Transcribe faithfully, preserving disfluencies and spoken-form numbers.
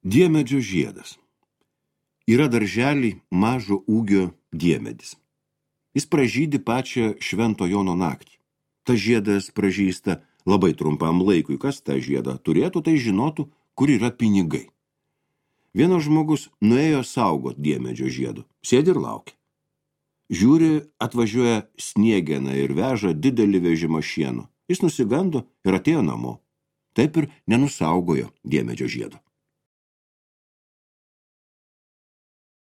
Diemedžio žiedas. Yra darželį mažo ūgio diemedis. Jis pražydi pačią Švento Jono naktį. Tas žiedas pražysta labai trumpam laikui. Kas tą žiedą turėtų, tai žinotų, kur yra pinigai. Vienas žmogus nuėjo saugot diemedžio žiedo. Sėdi ir laukia. Žiūri, atvažiuoja sniegena ir veža didelį vežimą šieno. Jis nusigando ir atėjo namo. Taip ir nenusaugojo diemedžio žiedo.